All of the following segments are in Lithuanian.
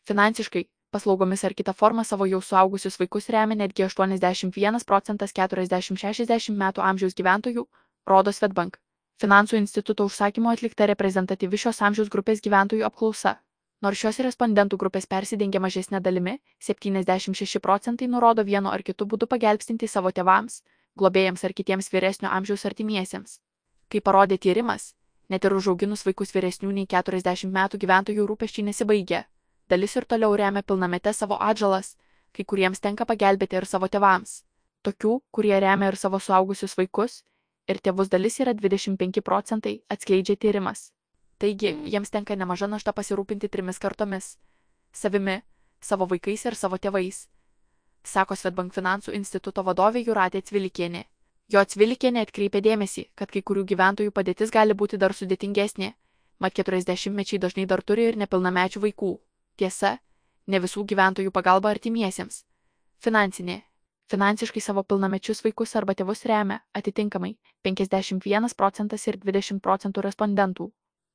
Finansiškai, paslaugomis ar kita forma savo jau suaugusius vaikus remia netgi 81% 40–60 metų amžiaus gyventojų, rodo Swedbank finansų instituto užsakymu atlikta reprezentatyvi šios amžiaus grupės gyventojų apklausa. Nors šios respondentų grupės persidengia mažesnė dalimi, 76% nurodo vienu ar kitu būdu pagelbstinti savo tėvams, globėjams ar kitiems vyresnio amžiaus artimiesiems. Kaip parodė tyrimas, net ir užauginus vaikus vyresnių nei 40 metų gyventojų rūpesčiai nesibaigia. Dalis ir toliau remia pilnamete savo atžalas, kai kuriems tenka pagelbėti ir savo tėvams. Tokių, kurie remia ir savo suaugusius vaikus, ir tėvus dalis yra 25%, atskleidžia tyrimas. Taigi, jiems tenka nemaža našta pasirūpinti 3 kartomis – savimi, savo vaikais ir savo tėvais, sako Swedbank finansų instituto vadovė Jūratė Cvilikienė. Jo Cvilikienė atkreipė dėmesį, kad kai kurių gyventojų padėtis gali būti dar sudėtingesnė, mat 40-mečiai dažnai dar turi ir nepilnamečių vaikų. Tiesa, ne visų gyventojų pagalba artimiesiems. Finansiškai savo pilnamečius vaikus arba tėvus remia, atitinkamai, 51% ir 20% respondentų.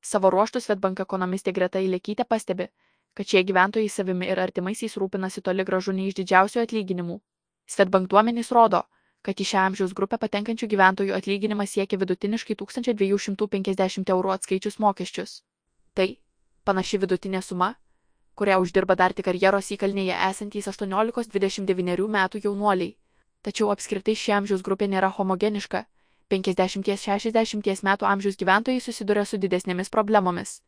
Savo ruožtu Swedbank ekonomistė Greta Ilekytė pastebi, kad šie gyventojai savimi ir artimaisiais rūpinasi toli gražu ne iš didžiausių atlyginimų. Swedbank duomenys rodo, kad į šią amžiaus grupę patenkančių gyventojų atlyginimas siekia vidutiniškai 1250 eurų atskaičius mokesčius. Tai panaši vidutinė suma, kurią uždirba dar tik karjeros įkalnėje esantys 18–29 metų jaunuoliai. Tačiau apskritai ši amžiaus grupė nėra homogeniška. 50–60 metų amžiaus gyventojai susiduria su didesnėmis problemomis.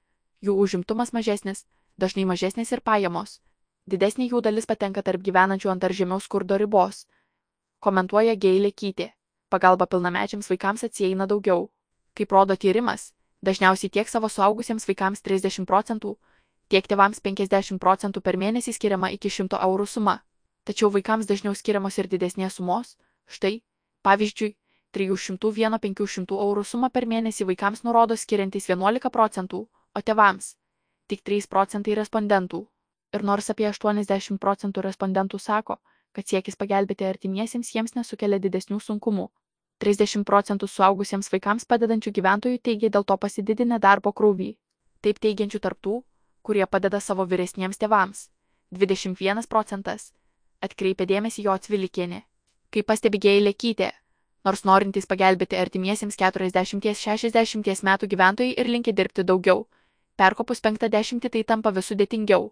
Jų užimtumas mažesnis, dažnai mažesnės ir pajamos. Didesnė jų dalis patenka tarp gyvenančių ant ar žemiau skurdo ribos. Komentuoja Ilekytė. Pagalba pilnamečiams vaikams atsieina daugiau. Kaip rodo tyrimas, dažniausiai tiek savo suaugusiems vaikams 30%, tiek tėvams 50% per mėnesį skiriama iki 100 eurų suma. Tačiau vaikams dažniau skiriamos ir didesnės sumos. Štai, pavyzdžiui, 301–500 eurų sumą per mėnesį vaikams nurodo skiriantys 11%, o tėvams tik 3% respondentų. Ir nors apie 80% respondentų sako, kad siekis pagelbėti artimiesiems jiems nesukelia didesnių sunkumų, 30% suaugusiems vaikams padedančių gyventojų teigia dėl to pasididinę darbo krūvį. Taip teigiančių tarptų, kurie padeda savo vyresniems tėvams, 21%, atkreipė dėmesį jo Cvilikienė. Kaip pastebi Ilekytė, nors norintys pagelbėti artimiesiems 40–60 metų gyventojai ir linki dirbti daugiau, perkopus 50 tai tampa vis sudėtingiau.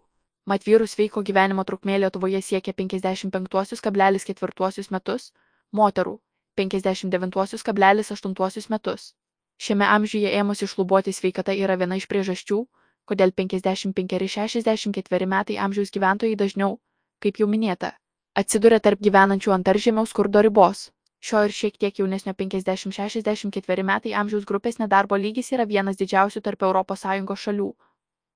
Mat vyrų sveiko gyvenimo trukmė Lietuvoje siekia 55,4 metus, moterų 59,8 metus. Šiame amžiuje ėmusi šlubuoti sveikata yra viena iš priežasčių, kodėl 55–64 metai amžiaus gyventojai dažniau, kaip jau minėta, atsiduria tarp gyvenančių ant ar žemiau skurdo ribos. Šio ir šiek tiek jaunesnio 50–64 metai amžiaus grupės nedarbo lygis yra vienas didžiausių tarp ES šalių.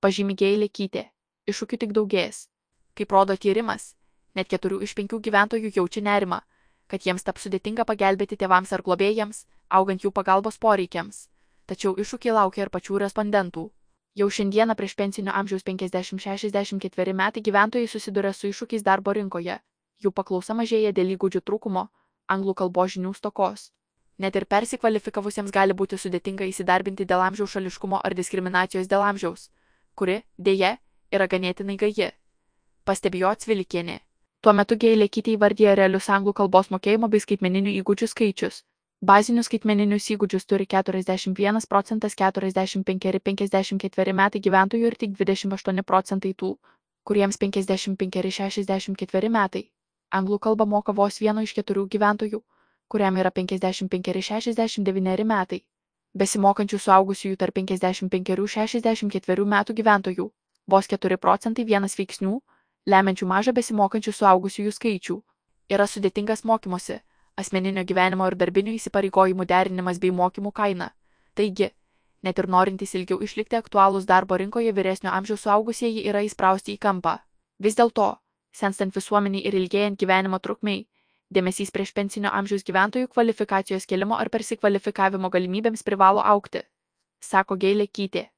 Pažymi Ilekytė. Iššūkių tik daugės. Kaip rodo tyrimas, net 4 iš 5 gyventojų jaučia nerimą, kad jiems taps sudėtinga pagelbėti tėvams ar globėjams, augant jų pagalbos poreikiams. Tačiau iššūkiai laukia ir pačių respondentų. Jau šiandieną prieš pensinio amžiaus 50–64 metai gyventojai susiduria su iššūkiais darbo rinkoje. Jų paklausa mažėja dėl įgūdžių trūkumo, anglų kalbos žinių stokos. Net ir persikvalifikavusiems gali būti sudėtinga įsidarbinti dėl amžiaus šališkumo ar diskriminacijos dėl amžiaus, kuri, deja, yra ganėtinai gaji. Pastebėjo Cvilikienė. Tuo metu Ilekytė įvardyja realius anglų kalbos mokėjimo bei skaitmeninių įgūdžių skaičius. Bazinius skaitmeninius įgūdžius turi 41%, 45–54 metai gyventojų ir tik 28% tų, kuriems 55–64 metai. Anglų kalbą moka vos 1 iš 4 gyventojų, kuriam yra 55–69 metai. Besimokančių suaugusiųjų tarp 55–64 metų gyventojų, vos 4% vienas veiksnių, lemiančių mažą besimokančių suaugusiųjų skaičių, yra sudėtingas mokymosi, asmeninio gyvenimo ir darbinių įsipareigojimų derinimas bei mokymų kaina. Taigi, net ir norintys ilgiau išlikti aktualūs darbo rinkoje vyresnio amžiaus suaugusieji yra įsprausti į kampą. Vis dėlto, senstant visuomeniai ir ilgėjant gyvenimo trukmei, dėmesys prieš pensinio amžiaus gyventojų kvalifikacijos kėlimo ar persikvalifikavimo galimybėms privalo augti, sako Ilekytė.